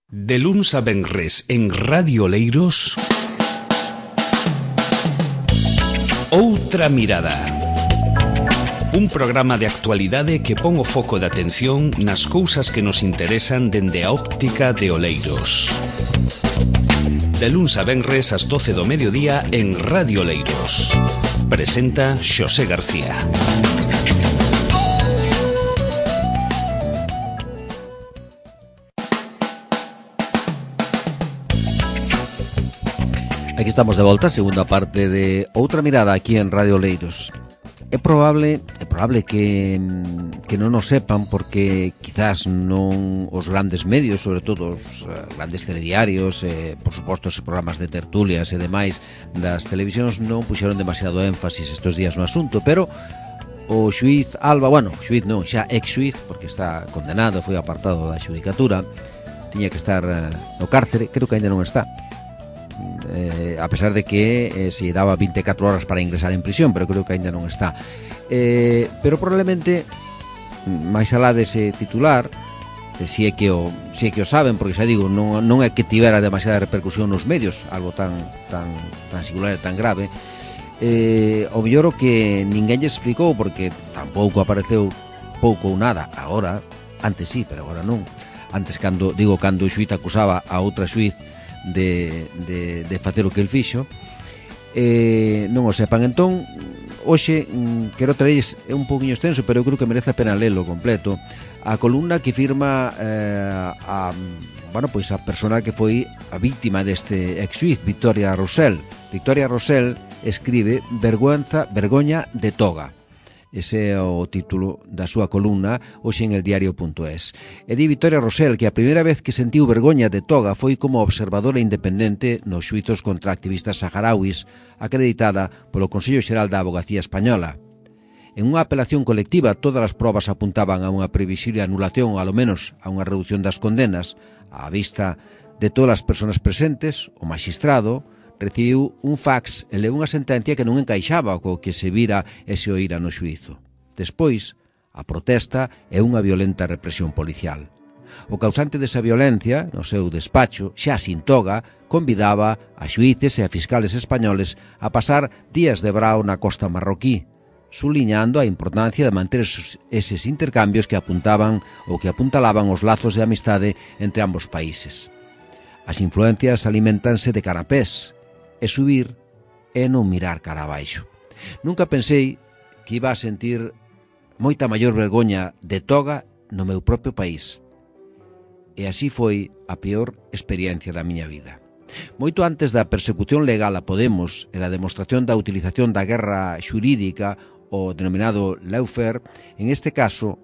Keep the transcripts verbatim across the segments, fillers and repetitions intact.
De luns a venres en Radio Oleiros, Outra Mirada. Un programa de actualidade que pon o foco de atención nas cousas que nos interesan dende a óptica de Oleiros. De luns a venres ás doce do mediodía en Radio Oleiros. Presenta Xosé García. Aquí estamos de volta, segunda parte de Outra Mirada aquí en Radio Oleiros. É probable, é probable que, que non nos sepan porque quizás non os grandes medios, sobre todo os uh, grandes telediarios, eh, por suposto os programas de tertulias e demais das televisións non puxeron demasiado énfasis estes días no asunto, pero o xuíz Alba, bueno, xuíz non, xa ex-xuíz, porque está condenado, foi apartado da xudicatura, tiña que estar uh, no cárcere, creo que ainda non está. Eh, a pesar de que eh, se daba vinte e catro horas para ingresar en prisión, pero creo que ainda non está. Eh, pero probablemente máis alá dese titular, eh, si é que o si é que o saben, porque xa digo, non, non é que tivera demasiada repercusión nos medios, algo tan tan tan singular e tan grave. Eh, o mellor o que ninguén lle explicou, porque tampouco apareceu pouco ou nada agora, antes sí, pero agora non. Antes, cando digo, cando o xuíz acusaba a outra xuíz de, de, de facer o que el fixo, eh, non o sepan. Entón, hoxe mm, quero traerles, é un pouquinho extenso, pero eu creo que merece a pena lelo completo, a columna que firma eh, a, bueno, pois a persona que foi a víctima deste ex-xuíz, Victoria Rosell. Victoria Rosell escribe Vergüenza, vergoña de toga. Ese é o título da súa columna hoxe en el diario punto es. E di Victoria Rosell que a primeira vez que sentiu vergoña de toga foi como observadora independente nos xuizos contra activistas saharauis, acreditada polo Consello Xeral da Avogacía Española. En unha apelación colectiva, todas as probas apuntaban a unha previsible anulación ou, alo menos, a unha reducción das condenas. Á vista de todas as persoas presentes, o maxistrado recibiu un fax e leu unha sentencia que non encaixaba co que se vira e se oíra no xuízo. Despois, a protesta é unha violenta represión policial. O causante desa violencia, no seu despacho, xa sin toga, convidaba a xuíces e a fiscales españoles a pasar días de brao na costa marroquí, suliñando a importancia de manter esos, eses intercambios que apuntaban ou que apuntalaban os lazos de amistade entre ambos países. As influencias alimentanse de canapés, e subir e non mirar cara abaixo. Nunca pensei que iba a sentir moita maior vergoña de toga no meu propio país. E así foi a peor experiencia da miña vida. Moito antes da persecución legal a Podemos e da demostración da utilización da guerra xurídica, o denominado lawfare, en este caso,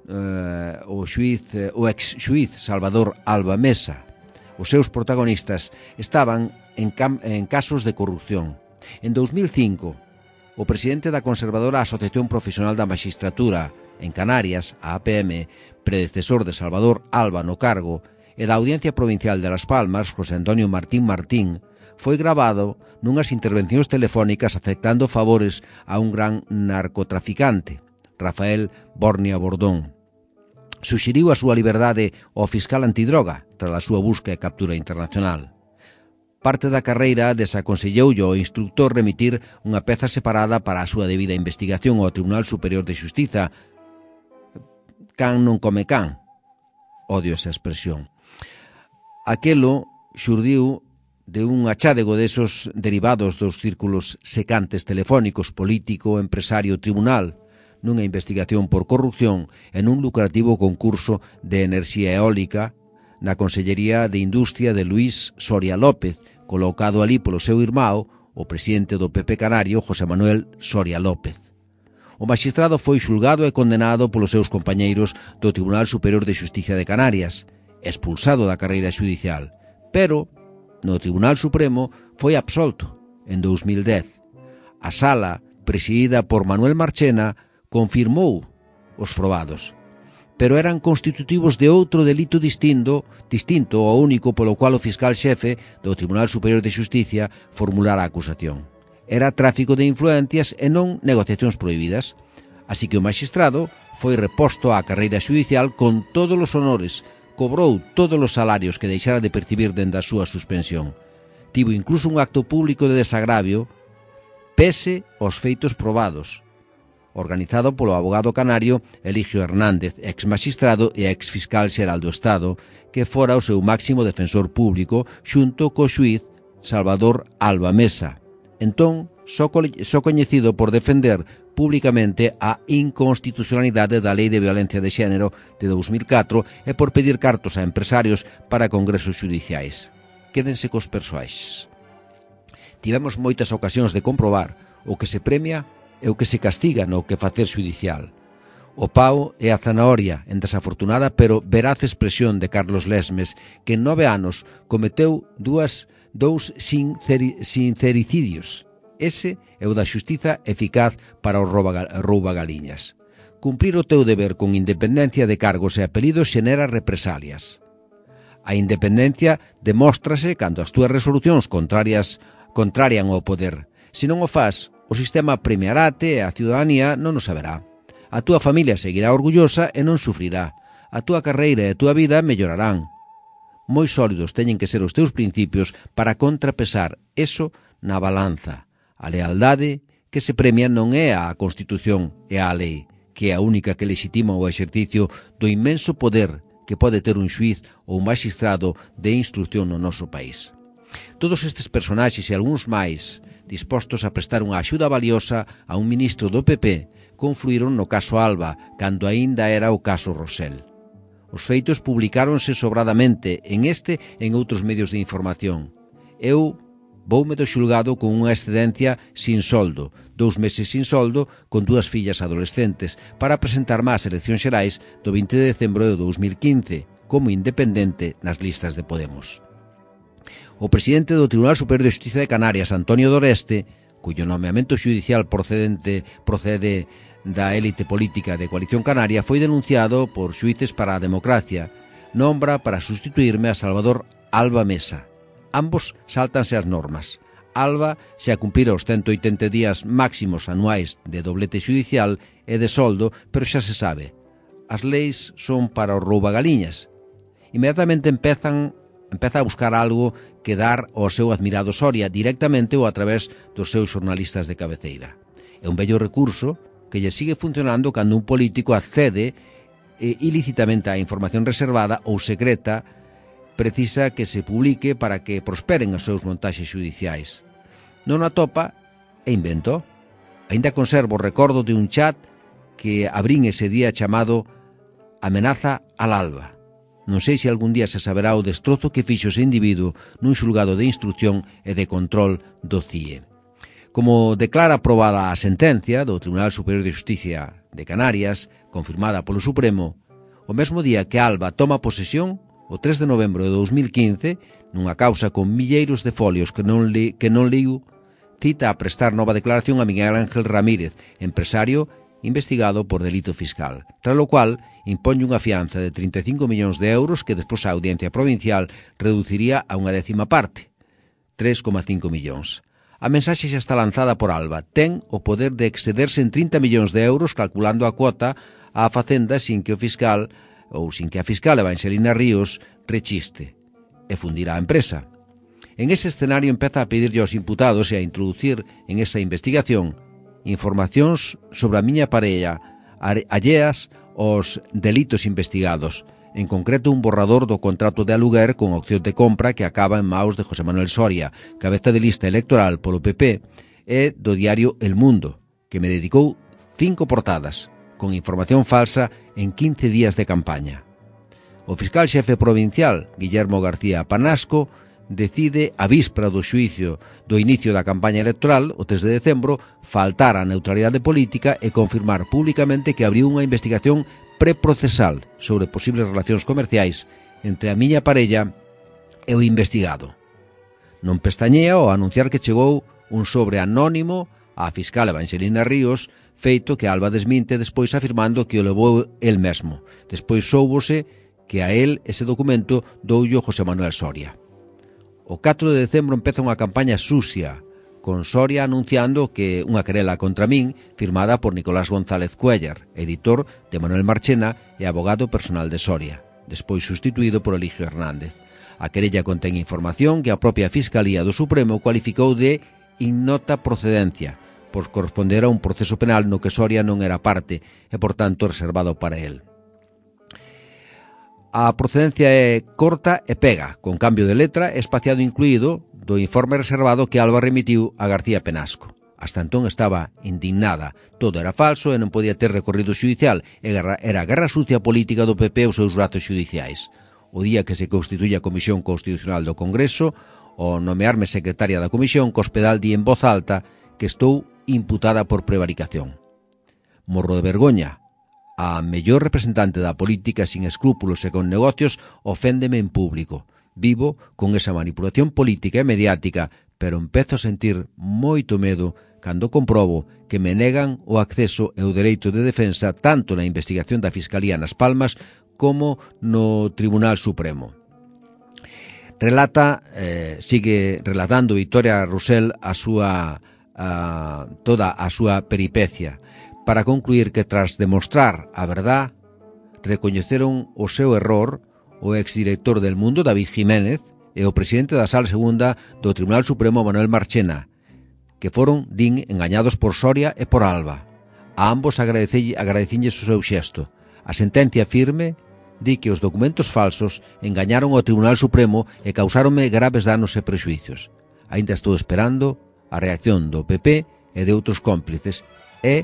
eh, o xuiz, o ex-xuiz Salvador Alba Mesa, os seus protagonistas estaban en, cam- en casos de corrupción. En dous mil cinco, o presidente da conservadora Asociación Profesional da Maxistratura en Canarias, a A P M, predecesor de Salvador Alba no cargo, e da Audiencia Provincial de Las Palmas, José Antonio Martín Martín, foi gravado nunhas intervencións telefónicas aceptando favores a un gran narcotraficante, Rafael Bornia Bordón. Suxeriu a súa liberdade ao fiscal antidroga tras a súa busca e captura internacional. Parte da carreira desaconselloulle ao instructor remitir unha peza separada para a súa debida investigación ao Tribunal Superior de Xustiza. Can non come can. Odio esa expresión. Aquelo xurdiu de un achádego desos derivados dos círculos secantes telefónicos político, empresario, tribunal, nunha investigación por corrupción en un lucrativo concurso de enerxía eólica na Consellería de Industria de Luís Soria López, colocado ali polo seu irmão, o presidente do P P canario, José Manuel Soria López. O magistrado foi xulgado e condenado polos seus compañeiros do Tribunal Superior de Xustiza de Canarias, expulsado da carreira xudicial, pero no Tribunal Supremo foi absolto en dous mil dez. A sala, presidida por Manuel Marchena, confirmou os probados, pero eran constitutivos de outro delito distinto, distinto ao único polo cual o fiscal xefe do Tribunal Superior de Xusticia formulara a acusación. Era tráfico de influencias e non negociacións prohibidas, así que o magistrado foi reposto á carreira xudicial con todos os honores, cobrou todos os salarios que deixara de percibir dende a súa suspensión. Tivo incluso un acto público de desagravio pese aos feitos probados, organizado polo abogado canario Eligio Hernández, ex-magistrado e ex-fiscal xeral do Estado, que fora o seu máximo defensor público xunto co xuíz Salvador Alba Mesa, entón só, co só coñecido por defender públicamente a inconstitucionalidade da Lei de Violencia de Xénero de dous mil catro e por pedir cartos a empresarios para congresos judiciais. Quédense cos persoais. Tivemos moitas ocasións de comprobar o que se premia e o que se castiga no que facer xudicial. O pau é a zanahoria en desafortunada pero veraz expresión de Carlos Lesmes, que en nove anos cometeu dúas, dous sinceri, sincericidios. Ese é o da xustiza eficaz para o roubagaliñas. Cumprir o teu deber con independencia de cargos e apelidos xenera represalias. A independencia demóstrase cando as túas resolucións contrarias contrarian ao poder. Se non o fas, o sistema premiarate e a ciudadanía non o saberá. A túa familia seguirá orgullosa e non sufrirá. A túa carreira e a túa vida mellorarán. Moi sólidos teñen que ser os teus principios para contrapesar eso na balanza. A lealdade que se premia non é a Constitución e a lei, que é a única que legitima o exercicio do inmenso poder que pode ter un xuiz ou un magistrado de instrucción no noso país. Todos estes personaxes e algúns máis dispostos a prestar unha axuda valiosa a un ministro do P P confluíron no caso Alba, cando aínda era o caso Rosell. Os feitos publicáronse sobradamente en este e en outros medios de información. Eu voume do xulgado con unha excedencia sin soldo, dous meses sin soldo, con dúas fillas adolescentes, para presentarme ás eleccións xerais do vinte de decembro de dous mil quince, como independente nas listas de Podemos. O presidente do Tribunal Superior de Xustiza de Canarias, Antonio Doreste, cuyo nomeamento xudicial procedente procede da élite política de Coalición Canaria, foi denunciado por Xuíces para a Democracia. Nombra para sustituirme a Salvador Alba Mesa. Ambos sáltanse as normas. Alba xa cumplira os ciento oitenta días máximos anuais de doblete xudicial e de soldo, pero xa se sabe, as leis son para os roubagaliñas. Inmediatamente empezan, empeza a buscar algo que dar ao seu admirado Soria, directamente ou a través dos seus xornalistas de cabeceira. É un bello recurso que lle sigue funcionando cando un político accede eh, ilícitamente á información reservada ou secreta, precisa que se publique para que prosperen os seus montaxes xudiciais. Non atopa e invento. Ainda conservo o recordo de un chat que abrín ese día chamado Amenaza al Alba. Non sei se algún día se saberá o destrozo que fixo ese individuo nun xulgado de instrucción e de control do C I E. Como declara aprobada a sentencia do Tribunal Superior de Xustiza de Canarias, confirmada polo Supremo, o mesmo día que Alba toma posesión, o tres de novembro de dous mil quince, nunha causa con milleiros de folios que non, li, que non liu, cita a prestar nova declaración a Miguel Ángel Ramírez, empresario investigado por delito fiscal, tras lo cual imponlle unha fianza de trinta e cinco millóns de euros que despois a Audiencia Provincial reduciría a unha décima parte, tres coma cinco millóns. A mensaxe xa está lanzada por Alba. Ten o poder de excederse en trinta millóns de euros calculando a cuota á Facenda sin que o fiscal ou sin que a fiscal Evangelina Ríos rechiste e fundirá a empresa. En ese escenario empeza a pedirlle aos imputados e a introducir en esa investigación informacións sobre a miña parella alleas aos delitos investigados, en concreto un borrador do contrato de aluguer con opción de compra que acaba en maus de José Manuel Soria, cabeza de lista electoral polo P P, e do diario El Mundo, que me dedicou cinco portadas, con información falsa en quince días de campaña. O fiscal xefe provincial, Guillermo García Panasco, decide a víspera do xuicio do inicio da campaña electoral, o tres de decembro, faltar á neutralidade política e confirmar públicamente que abriu unha investigación preprocesal sobre posibles relacións comerciais entre a miña parella e o investigado. Non pestañea ao anunciar que chegou un sobre anónimo á fiscal Evangelina Ríos, feito que Alba desminte despois afirmando que o levou el mesmo. Despois soubose que a el ese documento doullo José Manuel Soria. O catro de decembro empeza unha campaña sucia, con Soria anunciando que unha querela contra min firmada por Nicolás González Cuéllar, editor de Manuel Marchena e abogado personal de Soria. despois sustituído por Eligio Hernández. A querella contén información que a propia Fiscalía do Supremo cualificou de ignota procedencia, por corresponder a un proceso penal no que Soria non era parte e, por tanto, reservado para el. A procedencia é corta e pega, con cambio de letra e espaciado incluído do informe reservado que Alba remitiu a García Penasco. Hasta entón estaba indignada. Todo era falso e non podía ter recorrido xudicial. Era a guerra sucia política do P P e os seus brazos xudiciais. O día que se constituye a Comisión Constitucional do Congreso, ao nomearme secretaria da Comisión, Cospedal di en voz alta que estou imputada por prevaricación. Morro de vergoña. A mellor representante da política sin escrúpulos e con negocios oféndeme en público. Vivo con esa manipulación política e mediática, pero empezo a sentir moito medo cando comprobo que me negan o acceso e o dereito de defensa tanto na investigación da Fiscalía nas Palmas como no Tribunal Supremo. Relata, eh, sigue relatando Victoria Rosell a súa, a, toda a súa peripecia, para concluir que tras demostrar a verdad, recoñeceron o seu error o exdirector del Mundo, David Jiménez, e o presidente da Sala Segunda do Tribunal Supremo, Manuel Marchena, que foron, din, engañados por Soria e por Alba. A ambos agradecinlles o seu xesto. A sentencia firme di que os documentos falsos engañaron ao Tribunal Supremo e causáronme graves danos e prexuicios. Ainda estou esperando a reacción do P P e de outros cómplices e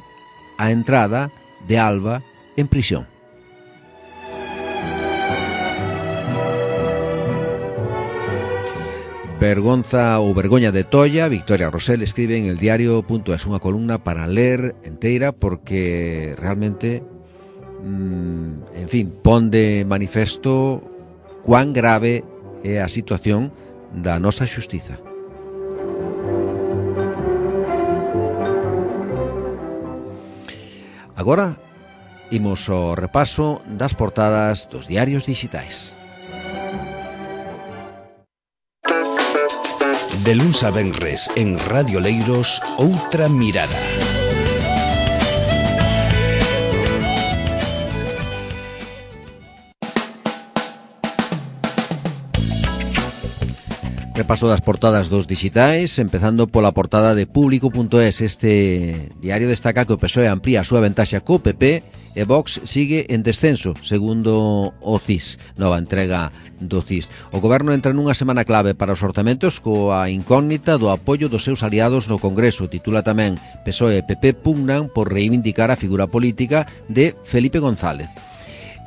a entrada de Alba en prisión. Vergonza ou vergoña de Tolla, Victoria Rosell escribe en el diario punto es, unha columna para ler enteira porque realmente, mmm, en fin, pon de manifesto cuán grave é a situación da nosa xustiza. Agora, imos ao repaso das portadas dos diarios digitais. De luns a venres en Radio Leiros, Outra Mirada. Repaso das portadas dos digitais, empezando pola portada de Público punto es. Este diario destaca que o P S O E amplía a súa ventaxa co P P e Vox sigue en descenso, segundo o C I S, nova entrega do C I S. O Goberno entra nunha semana clave para os orzamentos coa incógnita do apoio dos seus aliados no Congreso. Titula tamén P S O E e P P pugnan por reivindicar a figura política de Felipe González.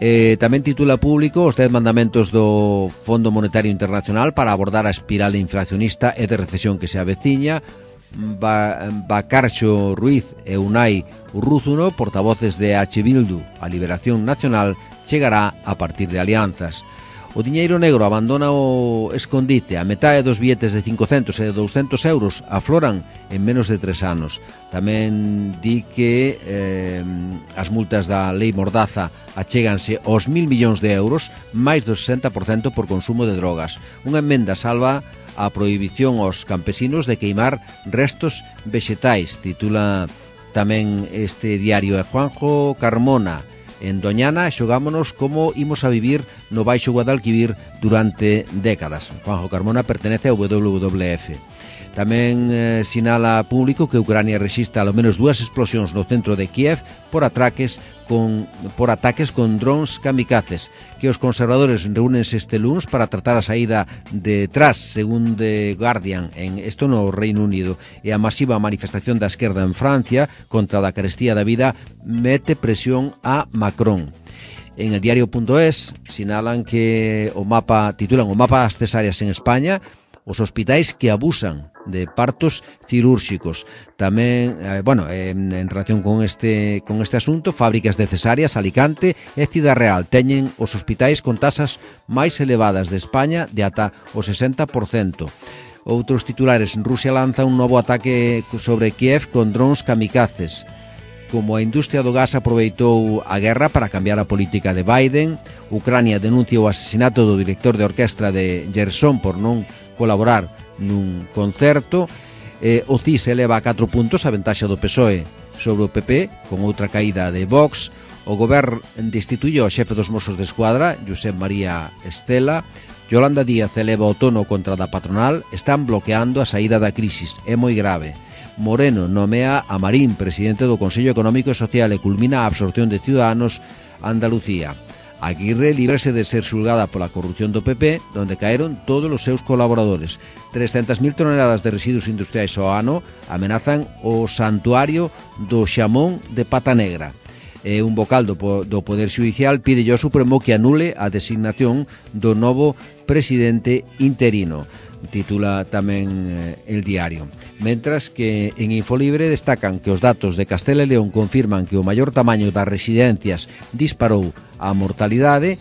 Eh, tamén titula Público os dez mandamentos do Fondo Monetario Internacional para abordar a espiral inflacionista e de recesión que se aveciña. Ba Bacarxo Ruiz e Unai Urruzuno, portavoces de H. Bildu, a Liberación Nacional chegará a partir de alianzas. O diñeiro negro abandona o escondite. A metade dos billetes de cincocentos e douscentos euros afloran en menos de tres anos. Tamén di que eh, as multas da lei Mordaza achéganse aos mil millóns de euros, máis do sesenta por cento por consumo de drogas. Unha emenda salva a prohibición aos campesinos de queimar restos vexetais. Titula tamén este diario de Juanjo Carmona. En Doñana xogámonos como imos a vivir no Baixo Guadalquivir durante décadas. Juanjo Carmona pertenece ao W W F. Tamén eh, sinala Público que Ucrania rexistra ao menos dúas explosións no centro de Kiev por atraques con, por ataques con drones kamikazes, que os conservadores reúnense este luns para tratar a saída de tras, según The Guardian, en isto no Reino Unido. E a masiva manifestación da esquerda en Francia contra a carestía da vida mete presión a Macron. En el diario punto es sinalan que o mapa, titulan o mapa das cesáreas en España, os hospitais que abusan de partos cirúrxicos. Tamén, eh, bueno, en, en relación con este con este asunto, fábricas de cesáreas, Alicante e Cidade Real teñen os hospitais con tasas máis elevadas de España de ata o sesenta por cento. Outros titulares: Rusia lanza un novo ataque sobre Kiev con drones kamikazes. Como a industria do gas aproveitou a guerra para cambiar a política de Biden, Ucrania denuncia o asesinato do director de orquestra de Gerson por non colaborar nun concerto. eh, o C I S eleva a catro puntos a ventaxa do P S O E sobre o P P, con outra caída de Vox. O Goberno destituyó ao xefe dos Mossos de Escuadra, Josep María Estela. Yolanda Díaz eleva o tono contra da patronal. Están bloqueando a saída da crisis, é moi grave. Moreno nomea a Marín presidente do Consello Económico e Social e culmina a absorción de Ciudadanos a Andalucía. Aguirre líbrase de ser xulgada pola corrupción do P P, donde caeron todos os seus colaboradores. trescentas mil toneladas de residuos industriais ao ano amenazan o santuario do xamón de Pata Negra. E un vocal do, do Poder Xudicial pide ao Supremo que anule a designación do novo presidente interino. Titula tamén eh, El Diario. Mentras que en Infolibre destacan que os datos de Castela e León confirman que o maior tamaño das residencias disparou a mortalidade,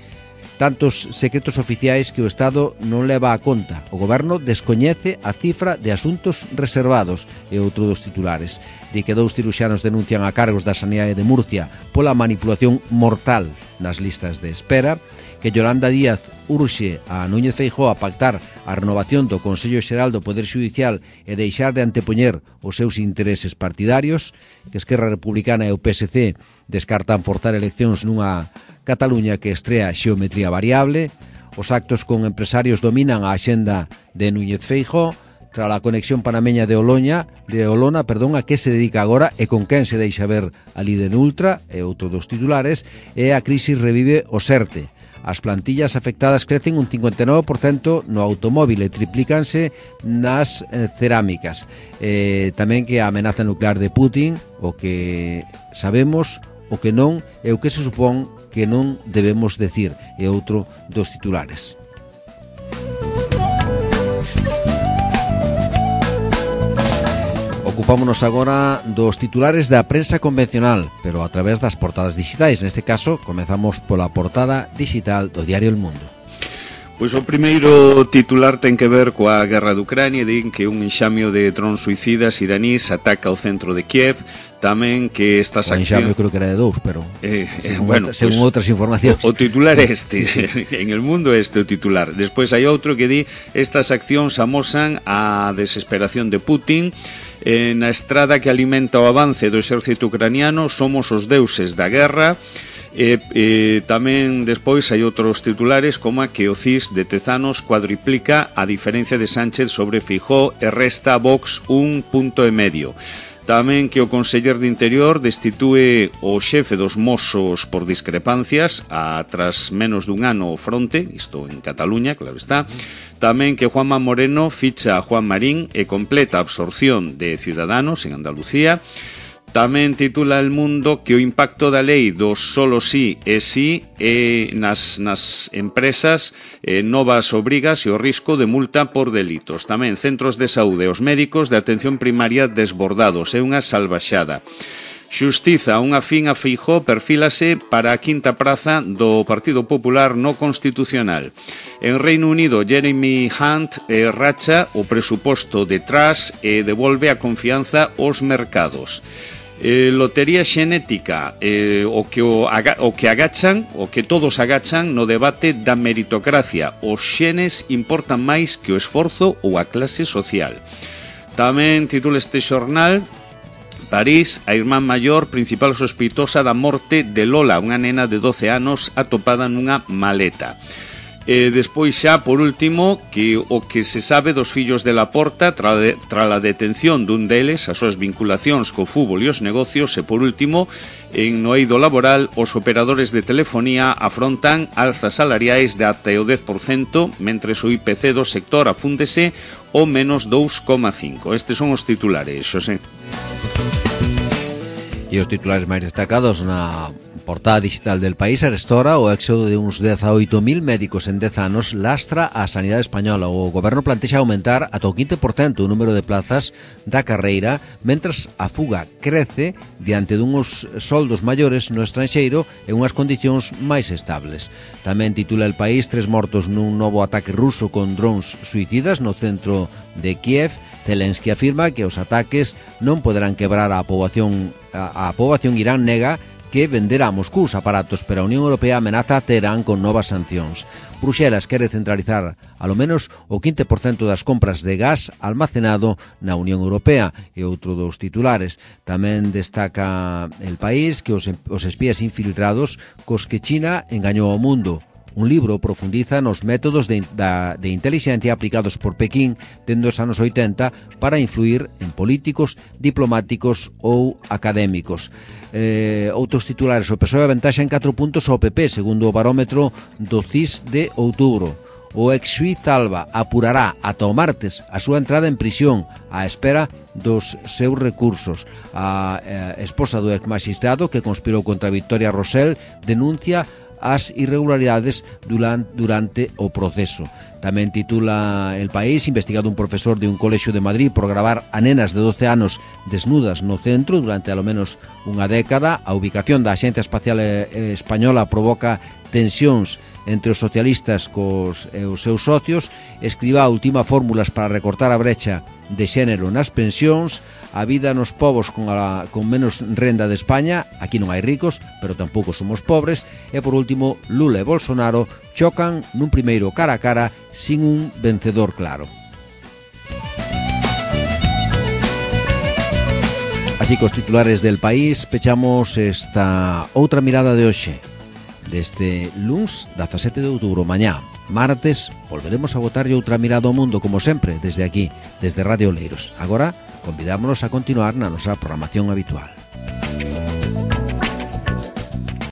tantos secretos oficiais que o Estado non leva a conta. O Goberno descoñece a cifra de asuntos reservados, e outro dos titulares. Di que dous ciruxanos denuncian a cargos da Sanidade de Murcia pola manipulación mortal nas listas de espera, que Yolanda Díaz urxe a Núñez Feijóo a pactar a renovación do Consello Xeral do Poder Xudicial e deixar de antepoñer os seus intereses partidarios, que Esquerra Republicana e o P S C descartan forzar eleccións nunha Cataluña que estrea xeometría variable. Os actos con empresarios dominan a axenda de Núñez Feijóo. Tras a conexión panameña de Oloña, de Olona, perdón, a que se dedica agora e con quen se deixa ver a líder ultra, e outro dos titulares, e a crisis revive o SERTE. As plantillas afectadas crecen un cincuenta e nove por cento no automóvil e triplícanse nas eh, cerámicas. Eh, tamén que a amenaza nuclear de Putin, o que sabemos, o que non, e o que se supón que non debemos decir, é outro dos titulares. Ocupámonos agora dos titulares da prensa convencional, pero a través das portadas digitais. Neste caso, comezamos pola portada digital do diario El Mundo. Pois o primeiro titular ten que ver coa guerra de Ucrania. Din que un enxamio de drons suicidas iranís ataca o centro de Kiev. Tamén que estas accións... O enxamio creo que era de dous, pero eh, eh, según, bueno, outra, según pues, outras informacións. O, o titular este, sí, sí. En El Mundo este o titular. Despois hai outro que di: estas accións amosan a desesperación de Putin. Eh, na estrada que alimenta o avance do exército ucraniano, somos os deuses da guerra. E, e tamén despois hai outros titulares, como a que o C I S de Tezanos cuadriplica a diferencia de Sánchez sobre Feijóo e resta a Vox un punto e medio. Tamén que o conseller de Interior destitue o xefe dos Mossos por discrepancias a tras menos dun ano o fronte, isto en Cataluña, claro está. Tamén que Juanma Moreno ficha a Juan Marín e completa a absorción de Ciudadanos en Andalucía. Tamén titula El Mundo que o impacto da lei do solo sí é sí e nas, nas empresas eh, novas obrigas e o risco de multa por delitos. Tamén centros de saúde e os médicos de atención primaria desbordados. É unha salvaxada. Xustiza, unha fin a Feijóo perfílase para a quinta praza do Partido Popular no Constitucional. En Reino Unido, Jeremy Hunt eh, racha o presuposto detrás e devolve a confianza aos mercados. Eh, lotería xenética, eh, o, que o, aga, o que agachan, o que todos agachan no debate da meritocracia. Os xenes importan máis que o esforzo ou a clase social. Tamén titula este xornal: París, a irmán maior principal sospeitosa da morte de Lola, unha nena de doce anos atopada nunha maleta. E despois xa, por último, que o que se sabe dos fillos de Laporta tra, de, tra a detención dun deles, as súas vinculacións co fútbol e os negocios. E por último, en no eido laboral, os operadores de telefonía afrontan alzas salariais de até o dez por cento, mentres o I P C do sector afúndese o menos dous coma cinco. Estes son os titulares, Xosé. E os titulares máis destacados na portada digital del País: arestora o éxodo de uns dezaoito mil médicos en dez anos lastra a sanidade española. O goberno plantexa aumentar ata o quince por cento o número de plazas da carreira, mentras a fuga crece diante dunhos soldos maiores no estranxeiro e unhas condicións máis estables. Tamén titula El País: tres mortos nun novo ataque ruso con drons suicidas no centro de Kiev. Zelensky afirma que os ataques non poderán quebrar a poboación. A, a poboación Irán nega que venderá a Moscú os aparatos, pero a Unión Europea amenaza a Teherán con novas sancións. Bruxelas quere centralizar alo menos o quince por cento das compras de gas almacenado na Unión Europea, e outro dos titulares. Tamén destaca El País que os, os espías infiltrados cos que China engañou ao mundo. Un libro profundiza nos métodos de, da, de inteligencia aplicados por Pequín dende os anos oitenta para influir en políticos, diplomáticos ou académicos. Eh, outros titulares: o P S O E aventaxa en catro puntos ao P P, segundo o barómetro do C I S de outubro. O ex-xuíz Alba apurará ata o martes a súa entrada en prisión á espera dos seus recursos. A eh, esposa do ex-magistrado que conspirou contra Victoria Rosell denuncia as irregularidades durante, durante o proceso. Tamén titula El País: investigado un profesor de un colexio de Madrid por gravar a nenas de doce anos desnudas no centro durante alo menos unha década. A ubicación da Axencia Espacial Española provoca tensións entre os socialistas cos e os seus socios. Escriba última fórmulas para recortar a brecha de xénero nas pensións. A vida nos povos con, a, con menos renda de España. Aquí non hai ricos, pero tampouco somos pobres. E por último, Lula e Bolsonaro chocan nun primeiro cara a cara sin un vencedor claro. Así que os titulares del País pechamos esta outra mirada de hoxe. Deste luns dezasete de outubro, mañá, martes, volveremos a botarlle outra mirada ao mundo, como sempre, desde aquí, desde Radio Oleiros. Agora, convidámonos a continuar na nosa programación habitual.